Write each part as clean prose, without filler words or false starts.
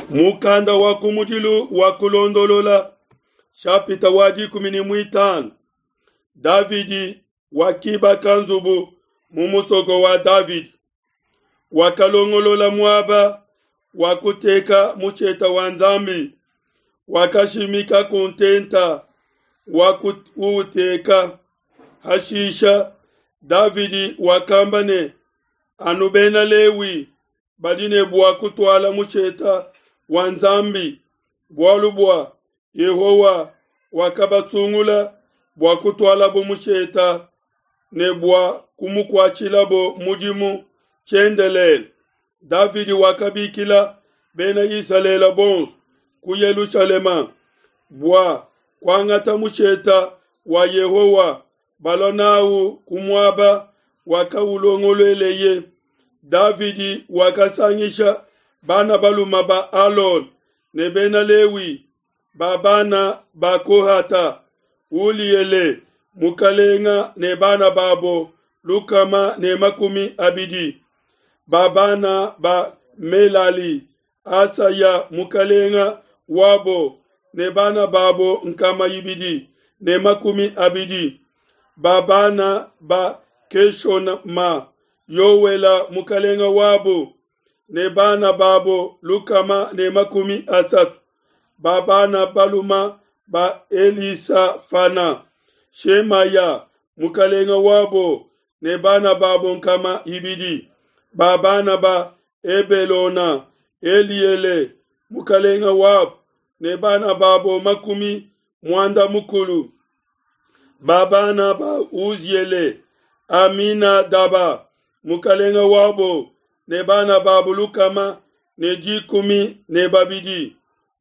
Mukanda wa kumudilu wa Kulondolola, shapita wa 15. Davidi wakibaka nzubu mu musoko wa Davidi. Wakalongolola muaba wa kuteka musheta wa Nzambi, wakashimika ku ntenta wa kuuteka. Hashisha Davidi wakamba ne, Anu Bena Lewi badi ne bua kutuala musheta wa Nzambi, bualu bua Yehowa wakabasungula bua kutualabo musheta ne bua kumukuatshilabo mudimu tshiendelele. Davidi wakabikila Bena Isalele bonso ku Yelushalema bua kuangata musheta wa Yehowa balua nawu ku muaba wakaulongolueleye. Davidi wakasangisha bana balume ba Alona ne bena Lewi ba bana ba Kohata, Uliele mukalenga ne bana babo 120, ba bana ba Melali, Asaya mukalenga wabo ne bana babo 220, ba bana ba Keshonama, Yowela mukalenga wabo ne bana babo 130, ba bana baluma ba Elisafana, Shemaya mukalenga wabo ne bana babo 200, ba bana ba Ebelona, Eliele mukalenga wabo ne bana babo 90, ba bana ba Uziele, Aminadaba mukalenga wabo ne bana babo 112.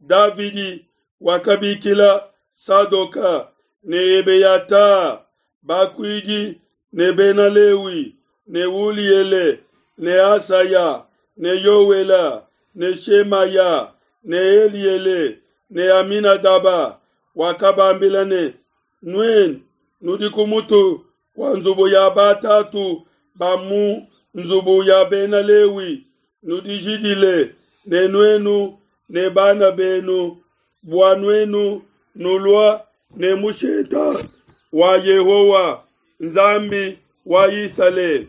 Davidi wakabikila Sadoka ne Ebeyata bakuidi ne bena Lewi ne Uliele ne Asaya ne Yowela ne Shemaya ne Eliele ne Aminadaba. Wakabambila ne, Nuenu nudi ku mutu kua nzubu ya batatu ba mu nzubu ya bena Lewi, nudijidile ne nuenu ne bana benu, bua nuenu nulua ne musheta wa Yehowa Nzambi wa Isalele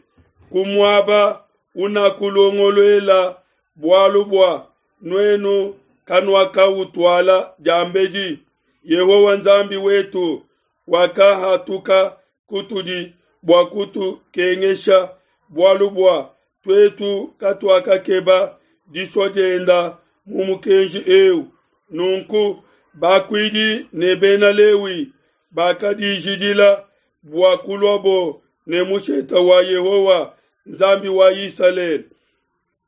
ku muaba unakulongoluela, bualu bua nuenu kanuakautuala diambedi. Yehowa Nzambi wetu wakahatuka kutudi bua kutukengesha, bualu bua tuetu katuakakeba disua dienda mu mukenji eu. Nunku bakuidi ne bena Lewi bakadijidila bua kuluabo ne musheta wa Yehowa Nzambi wa Isalele.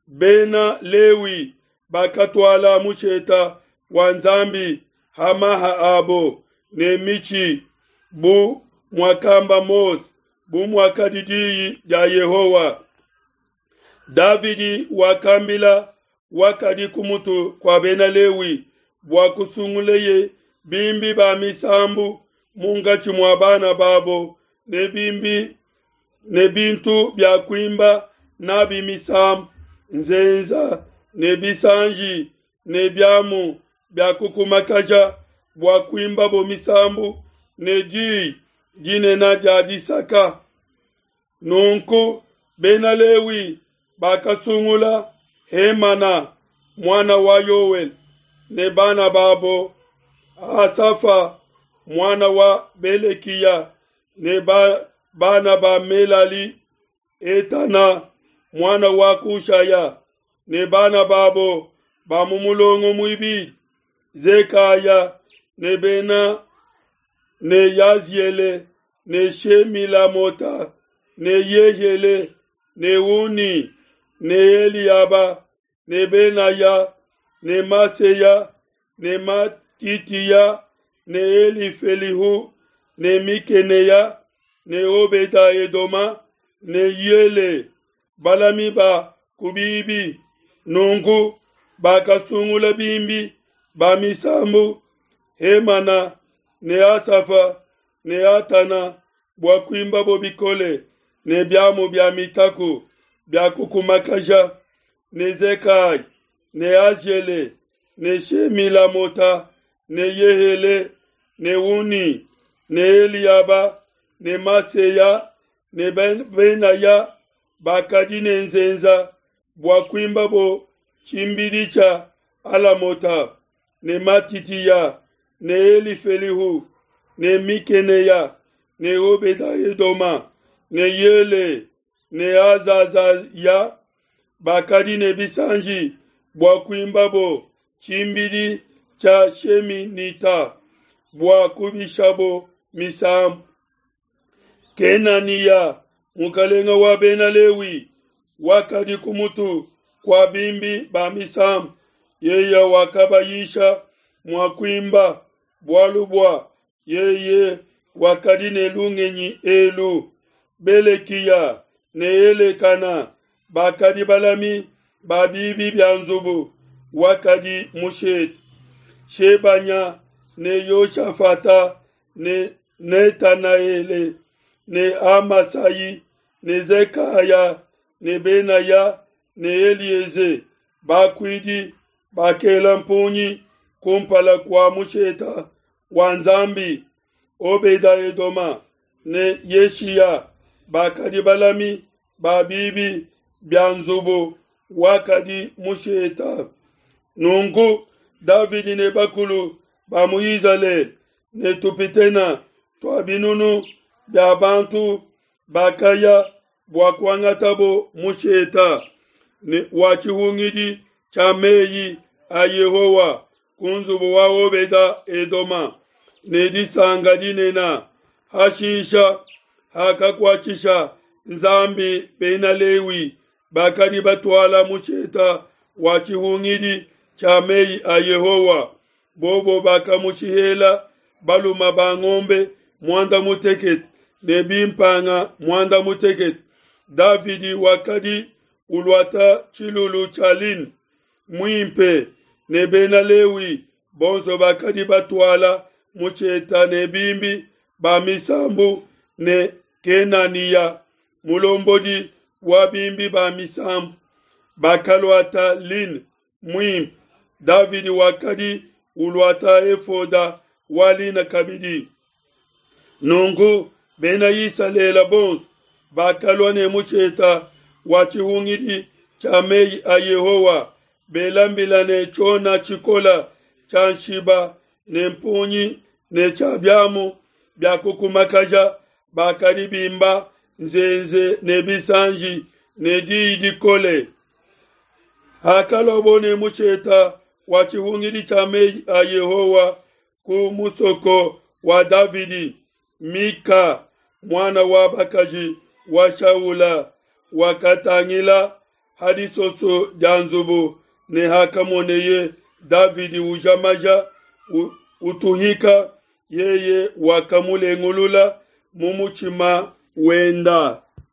Bena Lewi bakatuala musheta wa Nzambi ha maha abo ne mitshi, bu muakamba Mose, bu muakadi diyi dia Yehowa. Davidi wakambila wakadi ku mutu kua bena Lewi bua kusunguleye bimbi ba misambu munkatshi mua bana babo ne bimbi ne bintu bia kuimba nabi misambu, nzenza ne bisanji ne biamu bia kukumakaja bua kuimbabo misambu ne diyi dinene dia disaka. Nunku bena Lewi bakasungula Hemana muana wa Yoele ne bana babo Asafa muana wa Belekiya ne bana ba Melali, Etana muana wa Kushaya ne bana babo ba mu mulongo muibidi, Zekaya ne bena ne Yaziele ne Shemilamota ne Yehiele ne Uni ne Eliaba ne Benaya ne Maseya ne Matitiya ne Elifelihu ne Mikeneya ne Obeda Edoma ne Yele balami ba ku bibi. Nunku bakasungula bimbi ba misambu Hemana ne Asafa ne Atana bua kuimbabo bikole ne biamu bia mitaku bia kukumakaja, ne Zekai ne Aziele. ne Shemilamota ne Yehele ne Uni ne Eliaba ne Maseya ne Benaya bakadi ne nzenza bua kuimbabo tshimbidi tshia Alamota ne Matitiya ne Elifelihu ne Mikeneya ne Obeda-Edoma ne Yele ne Azazaya bakadi ne bisanji bua kuimbabo tshimbidi tshia Sheminita bua kubishabo misambu. Kenaniya, mukalenga wa Bena Lewi, wakadi ku mutu kua bimbi ba misambu, yeye wakabayisha mua kuimba, bualu bua yeye wakadi ne lungenyi elu. Belekiya ne Elekana bakadi balami ba bibi bia nzubu wakadi mushete. Shebanya ne Yoshafata ne Netanaele ne Amasai ne Zekaya ne Benaya ne Elieze bakuidi bakela mpungi kumpala kua musheta wa Nzambi. Obeda-Edoma ne Yeshiya bakadi balami ba bibi bia nzubu wakadi musheta. Nunku Davidi ne bakulu ba mu Izalele ne tupitena tua binunu bia bantu bakaya bua kuangatabo musheta ne wa tshihungidi tshia meyi a Yehowa ku nzubu wa Obeda Edoma ne disanka dinene. Hashisha hakakuatshisha Nzambi Bena Lewi bakadi batuala musheta wa tshihungidi tshia meyi a Yehowa, bobo bakamushihela balume ba ngombe muanda mutekete ne bimpanga muanda mutekete. Davidi wakadi uluata tshilulu tshia lin muimpe, ne Bena Lewi bonso bakadi batuala musheta ne bimbi ba misambu ne Kenaniya mulombodi wa bimbi ba misambu bakaluata lin muimpe. Davidi wakadi uluata efoda wa lin kabidi. Nunku Bena Isalele bonso bakalua ne musheta wa tshihungidi tshia meyi a Yehowa, bela mbila ne tshiona tshikola tshia nshiba ne mpungi ne tshia biamu bia kukumakaja, bakadi bimba nzenze ne bisanji ne diyi dikole. Hakaluabo ne musheta wa tshihungidi tshia meyi a Yehowa ku musoko wa Davidi, Mika muana wa bakaji wa Shaula wakatangila ha disoso dia nzubu, ne hakamoneye Davidi uja maja utuhika, yeye wakamulengulula mu mutshima wenda.